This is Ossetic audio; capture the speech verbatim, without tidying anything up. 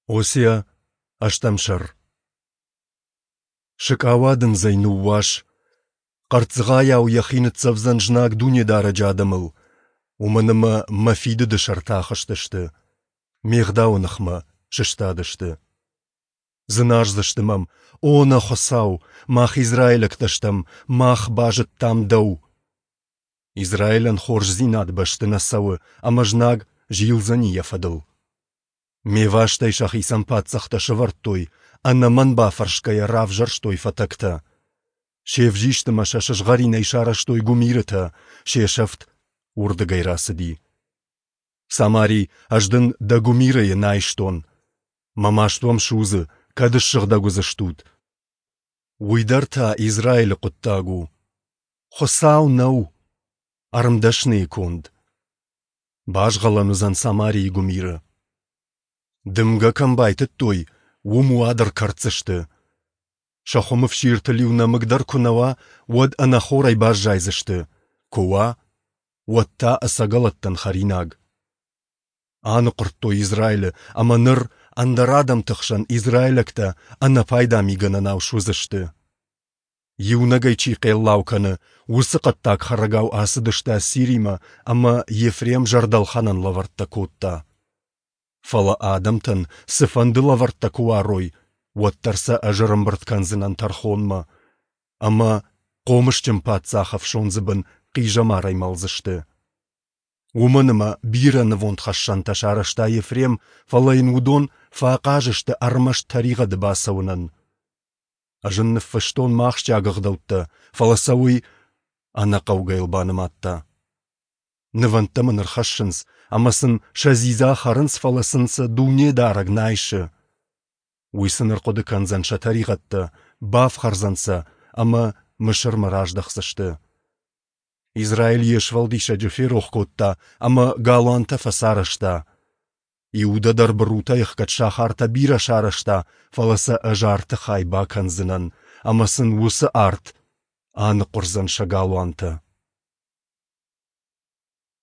Осиа, ӕстӕм сӕр. Сыкъауадындзӕй ныууас! Хъӕрццыгъайау йӕхи ныццӕвдзӕн знаг Дунедарӕджы адӕмыл, уымӕн ӕмӕ Мӕ фидыды сӕрты ахызтысты, Ме Гъдауы ныхмӕ сыстадысты. Дзыназдзысты мӕм: «О нӕ Хуыцау, мах израилӕгтӕ стӕм, мах базыдтам Дӕу!» Израилӕн хорздзинад бӕсты нӕ цӕуы, ӕмӕ знаг зилдзӕни йӕ фӕдыл. Ме вастӕй сӕхицӕн паддзӕхтӕ сӕвӕрдтой, ӕнӕ мӕн бафӕрсгӕйӕ равзӕрстой фӕтӕгтӕ. Се взист ӕмӕ сӕ сызгъӕринӕй сарӕзтой гуымирытӕ, се сӕфт уырдыгӕй рацыди. Самари, ӕз дын дӕ гуымирыйы нӕ айстон. Мӕ маст уӕм судзы, кӕд ссыгъдӕг уыдзыстут. Уый дӕр та Израилы хъуыддаг у. Хуыцау нӕу, ӕрмдӕсныйы конд. Базгъӕлӕн уыдзӕн Самарийы гуымиры. Дымгӕ кӕм байтыдтой, уым уад ӕркӕрддзысты. Сӕ хуымы фсиртыл иу нӕмыг дӕр куы нӕ уа, уӕд ӕнӕхорӕй баззайдзысты, куы уа, уӕд та ӕцӕгӕлӕттӕн хӕринаг. Аныхъуырдтой Израилы, ӕмӕ ныр ӕндӕр адӕмты хсӕн израилӕгтӕ ӕнӕпайда мигӕнӕнау суыдзысты. Иунӕгӕй чи хъеллау кӕны, уыцы хъӕддаг хӕрӕгау ацыдысты Ассиримӕ, ӕмӕ Ефрем зӕрдӕлхӕнӕн лӕвӕрттӕ кодта. Фӕлӕ адӕмтӕн цыфӕнды лӕвӕрттӕ куы уарой, уӕддӕр сӕ ӕз ӕрӕмбырд кӕндзынӕн тӕрхонмӕ, ӕмӕ хъомысджын паддзахы ӕфсондзы бын хъизӕмарӕй мӕлдзысты. Уымӕн ӕмӕ бирӕ нывондхӕссӕнтӕ сарӕзта Ефрем, фӕлӕ йын уыдон фӕахъаз сты ӕрмӕст тӕригъӕды бацӕуынӕн. Ӕз ын ныффыстон мӕ ахсджиаг ӕгъдӕуттӕ, фӕлӕ сӕ уый ӕнӕхъӕугӕйыл банымадта. Нывӕндтӕ мын ӕрхӕссынц, ӕмӕ сын сӕ дзидза хӕрынц, фӕлӕ сын сӕ Дунедарӕг нӕ айсы. Уый сын ӕрхъуыды кӕндзӕн сӕ тӕригъӕдтӕ, бафхӕрдзӕн сӕ, ӕмӕ Мысырмӕ раздӕхдзысты. Израиль йе сфӕлдисӕджы ферох кодта ӕмӕ галуантӕ фӕцарӕзта. Иудӕ дӕр бырутӕй ӕхгӕд сахартӕ бирӕ сарӕзта, фӕлӕ сӕ ӕз арты хай бакӕндзынӕн, ӕмӕ сын уыцы арт аныхъуырдзӕн сӕ галуантӕ.